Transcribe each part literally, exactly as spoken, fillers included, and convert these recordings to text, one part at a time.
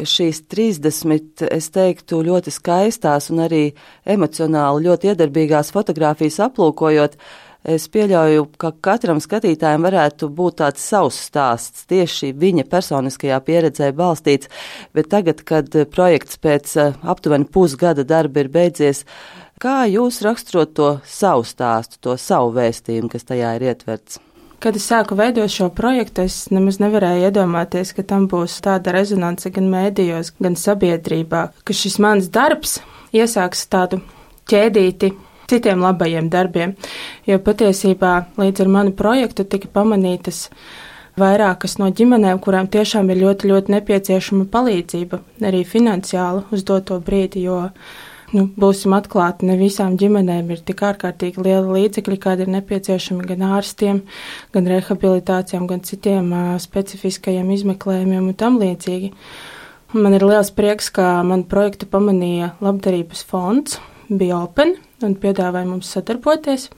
šīs trīsdesmit, es teiktu, ļoti skaistās un arī emocionāli ļoti iedarbīgās fotogrāfijas aplūkojot, es pieļauju, ka katram skatītājam varētu būt tāds savs stāsts, tieši viņa personiskajā pieredzē balstīts, bet tagad, kad projekts pēc aptuveni pusgada darba ir beidzies, kā jūs raksturot to savu stāstu, to savu vēstījumu, kas tajā ir ietverts? Kad es sāku veidot šo projektu, es nemaz nevarēju iedomāties, ka tam būs tāda rezonance gan mēdījos, gan sabiedrībā, ka šis mans darbs iesāks tādu ķēdīti citiem labajiem darbiem, jo patiesībā līdz ar manu projektu tika pamanītas vairākas no ģimenēm, kurām tiešām ir ļoti, ļoti nepieciešama palīdzība, arī finansiāla uz doto brīdi, jo Nu, būsim atklāti, ne visām ģimenēm ir tik ārkārtīgi liela līdzekļi, kādi ir nepieciešami gan ārstiem, gan rehabilitācijām, gan citiem uh, specifiskajiem izmeklējumiem un tam līdzīgi. Man ir liels prieks, ka manu projektu pamanīja Labdarības fonds, bija open un piedāvāja mums sadarboties.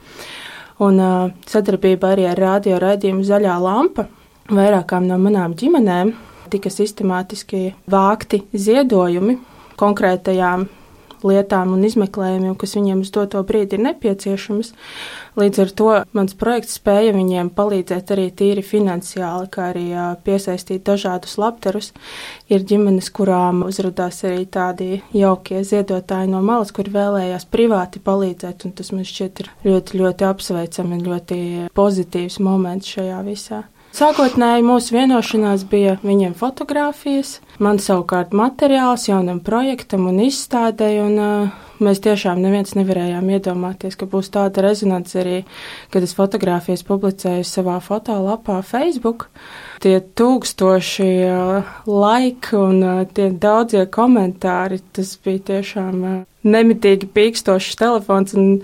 Un uh, sadarbība arī ar radio raidījumu Zaļā lampa vairākām no manām ģimenēm tika sistemātiski vākti ziedojumi konkrētajām lietām un izmeklējumiem, kas viņiem uz doto brīdi ir nepieciešamas. Līdz ar to mans projekts spēja viņiem palīdzēt arī tīri finansiāli, kā arī piesaistīt dažādus labdarus. Ir ģimenes, kurām uzrādās arī tādi jaukie ziedotāji no malas, kuri vēlējās privāti palīdzēt, un tas man šķiet ir ļoti, ļoti apsveicami un ļoti pozitīvs moments šajā visā. Sākotnēji mūsu vienošanās bija viņiem fotogrāfijas, man savukārt materiāls jaunam projektam un izstādei, un uh, mēs tiešām neviens nevarējām iedomāties, ka būs tāda rezonance arī, kad es fotogrāfijas publicēju savā fotolapā Facebook. Tie tūkstoši uh, laiki un uh, tie daudzie komentāri, tas bija tiešām uh, nemitīgi pīkstošs telefons, un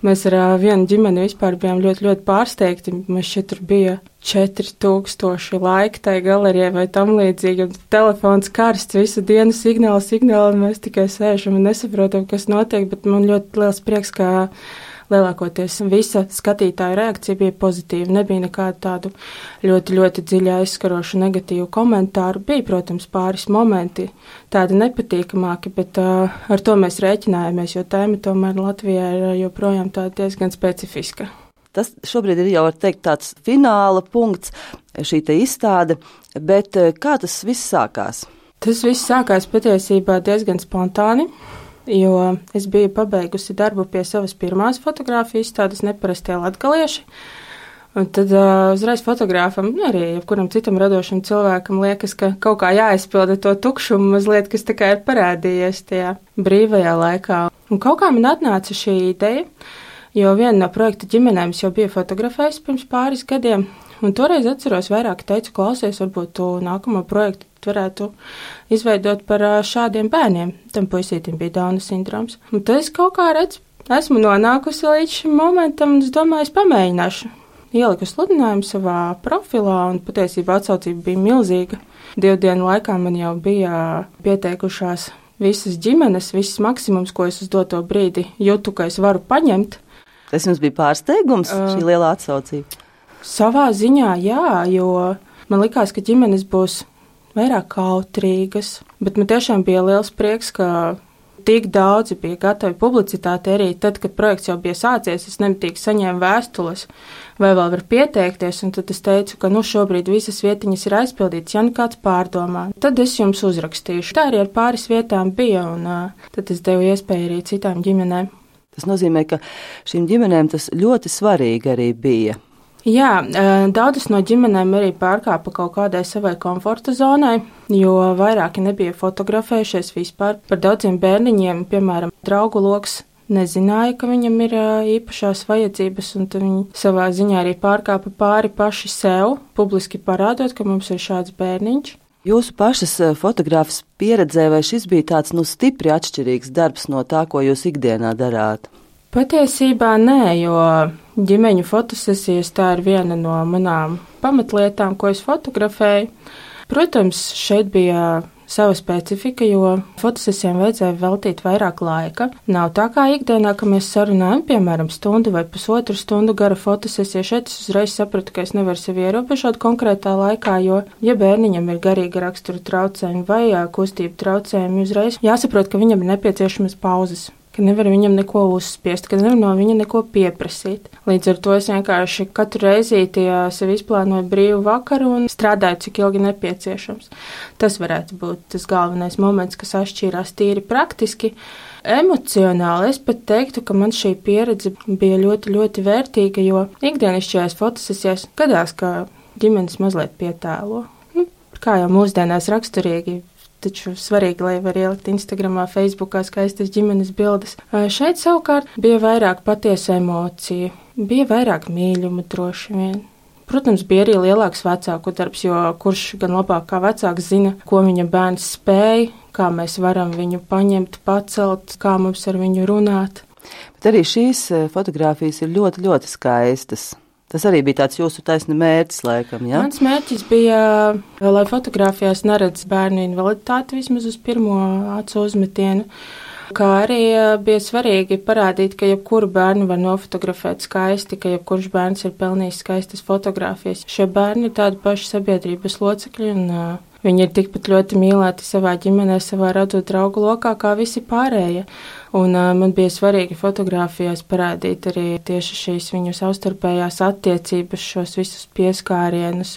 mēs ar uh, vienu ģimeni vispār bijām ļoti, ļoti pārsteigti. Mēs šeit tur bija četri tūkstoši laiki tai galerijai vai tam līdzīgi, un telefons karsts, visu dienu signāli, signāli, un mēs tikai sēžam un nesaprotam, kas notiek, bet man ļoti liels prieks, ka lielākoties visa skatītāja reakcija bija pozitīva. Nebija nekādu tādu ļoti, ļoti dziļi aizskarošu negatīvu komentāru. Bija, protams, pāris momenti tādi nepatīkamāki, bet uh, ar to mēs rēķinājāmies, jo tēma tomēr Latvijā ir joprojām tāda diezgan specifiska. Tas šobrīd ir jau, var teikt, tāds fināla punkts, šī te izstāde, bet kā tas viss sākās? Tas viss sākās patiesībā diezgan spontāni, jo es biju pabeigusi darbu pie savas pirmās fotogrāfijas izstādes Neparastie latgalieši, un tad uh, uzreiz fotogrāfam, nu arī jebkuram citam radošam cilvēkam liekas, ka kaut kā jāizpilda to tukšumu mazliet, kas tā kā ir parādījies tajā brīvajā laikā. Un kaut kā man atnāca šī ideja, jo viena no projekta ģimenēm jau bija fotografējis pirms pāris gadiem, un toreiz atceros vairāk teicu, klausies, varbūt tu nākamo projektu varētu izveidot par šādiem bērniem. Tam puisītim bija Dauna sindroms. Un tad es kaut kā redzu, esmu nonākusi līdz šim momentam, un es domāju, es pamēģināšu. Ieliku sludinājumu savā profilā, un patiesībā atsaucība bija milzīga. Divu dienu laikā man jau bija pieteikušās visas ģimenes, viss maksimums, ko es uz doto brīdi jūtu, ka es varu paņemt. Tas jums bija pārsteigums, uh, šī lielā atsaucība? Savā ziņā, jā, jo man likās, ka ģimenes būs vairāk kautrīgas, bet man tiešām bija liels prieks, ka tik daudzi bija gatavi publicitāti arī tad, kad projekts jau bija sācies, es nemitīgi saņēmu vēstules, vai vēl var pieteikties, un tad es teicu, ka nu šobrīd visas vietiņas ir aizpildītas, ja nu kāds pārdomā. Tad es jums uzrakstīšu. Tā arī ar pāris vietām bija, un uh, tad es devu iespēju arī citām ģimenēm. Tas nozīmē, ka šīm ģimenēm tas ļoti svarīgi arī bija. Jā, daudzas no ģimenēm arī pārkāpa kaut kādai savai komforta zonai, jo vairāki nebija fotografējušies vispār. Par daudziem bērniņiem, piemēram, draugu loks nezināja, ka viņam ir īpašās vajadzības, un viņi savā ziņā arī pārkāpa pāri paši sev, publiski parādot, ka mums ir šāds bērniņš. Jūsu pašas fotogrāfas pieredzē, vai šis bija tāds, nu, stipri atšķirīgs darbs no tā, ko jūs ikdienā darāt? Patiesībā nē, jo ģimeņu fotosesijas tā ir viena no manām pamatlietām, ko es fotografēju. Protams, šeit bija sava specifika, jo fotosesijām vajadzēja veltīt vairāk laika. Nav tā kā ikdienā, ka mēs sarunājam, piemēram, stundu vai pusotru stundu gara fotosesiju. Šeit es uzreiz sapratu, ka es nevaru sevi ierobežot konkrētā laikā, jo, ja bērniņam ir garīga rakstura traucējumi vai kustību traucējumi, uzreiz jāsaprot, ka viņam ir nepieciešamas pauzes, ka nevar viņam neko uzspiest, ka nevar no viņa neko pieprasīt. Līdz ar to es vienkārši katru reizīti sev izplānoju brīvu vakaru un strādāju, cik ilgi nepieciešams. Tas varētu būt tas galvenais moments, kas atšķīrās tīri praktiski. Emocionāli es pat teiktu, ka man šī pieredze bija ļoti, ļoti vērtīga, jo ikdienišķajās fotosesijās gadās, ka ģimenes mazliet pietēlo. Nu, kā jau mūsdienās raksturīgi, taču svarīgi, lai var ielikt Instagramā, Facebookā skaistas ģimenes bildes. Šeit savukārt bija vairāk patiesu emociju, bija vairāk mīļumu droši vien. Protams, bija arī lielāks vecāku darbs, jo kurš gan labāk kā vecāks zina, ko viņa bērns spēj, kā mēs varam viņu paņemt, pacelt, kā mums ar viņu runāt. Bet arī šīs fotogrāfijas ir ļoti, ļoti skaistas. Tas arī bija tāds jūsu taisna mērķis, laikam, jā? Mans mērķis bija, lai fotogrāfijās neredz bērnu invaliditāti vismaz uz pirmo acu uzmetienu, kā arī bija svarīgi parādīt, ka jebkuru bērnu var nofotografēt skaisti, ka jebkurš bērns ir pelnījis skaistas fotogrāfijas. Šie bērni ir tādi paši sabiedrības locekļi un uh, viņi ir tikpat ļoti mīlēti savā ģimenē, savā radu draugu lokā, kā visi pārējie. Un uh, man bija svarīgi fotogrāfijās parādīt arī tieši šīs viņu savstarpējās attiecības, šos visus pieskārienus.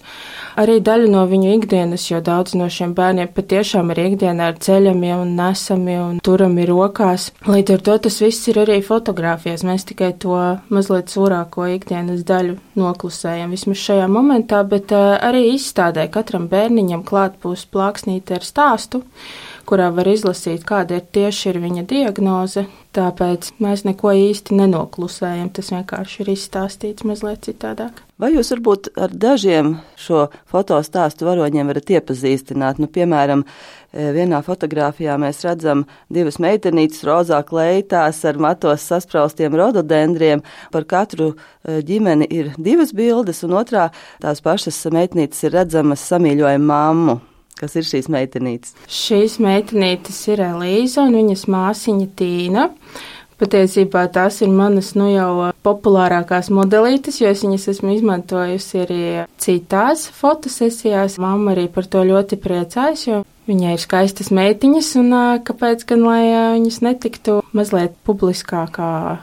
Arī daļu no viņu ikdienas, jo daudz no šiem bērniem patiešām ir ikdienā ar ceļami un nesami un turami rokās. Līdz ar to tas viss ir arī fotogrāfijās. Mēs tikai to mazliet sūrāko ikdienas daļu noklusējam vismaz šajā momentā, bet uh, arī izstādē katram bērniņam klāt būs plāksnīte ar stāstu, kurā var izlasīt, kāda ir tieši ir viņa diagnoze, tāpēc mēs neko īsti nenoklusējam, tas vienkārši ir izstāstīts mazliet citādāk. Vai jūs varbūt ar dažiem šo fotostāstu varoņiem varat iepazīstināt? Nu, piemēram, vienā fotogrāfijā mēs redzam divas meitenītes rozā kleitās ar matos saspraustiem rododendriem. Par katru ģimeni ir divas bildes, un otrā tās pašas meitenītes ir redzamas samīļojumu mammu. Kas ir šīs meitenītes? Šīs meitenītes ir Elīza un viņas māsiņa Tīna. Patiesībā tās ir manas nu jau populārākās modelītes, jo es viņas esmu izmantojusi arī citās fotosesijās. Mamma arī par to ļoti priecājas, jo viņai ir skaistas meitiņas un kāpēc gan, lai viņas netiktu mazliet publiskākā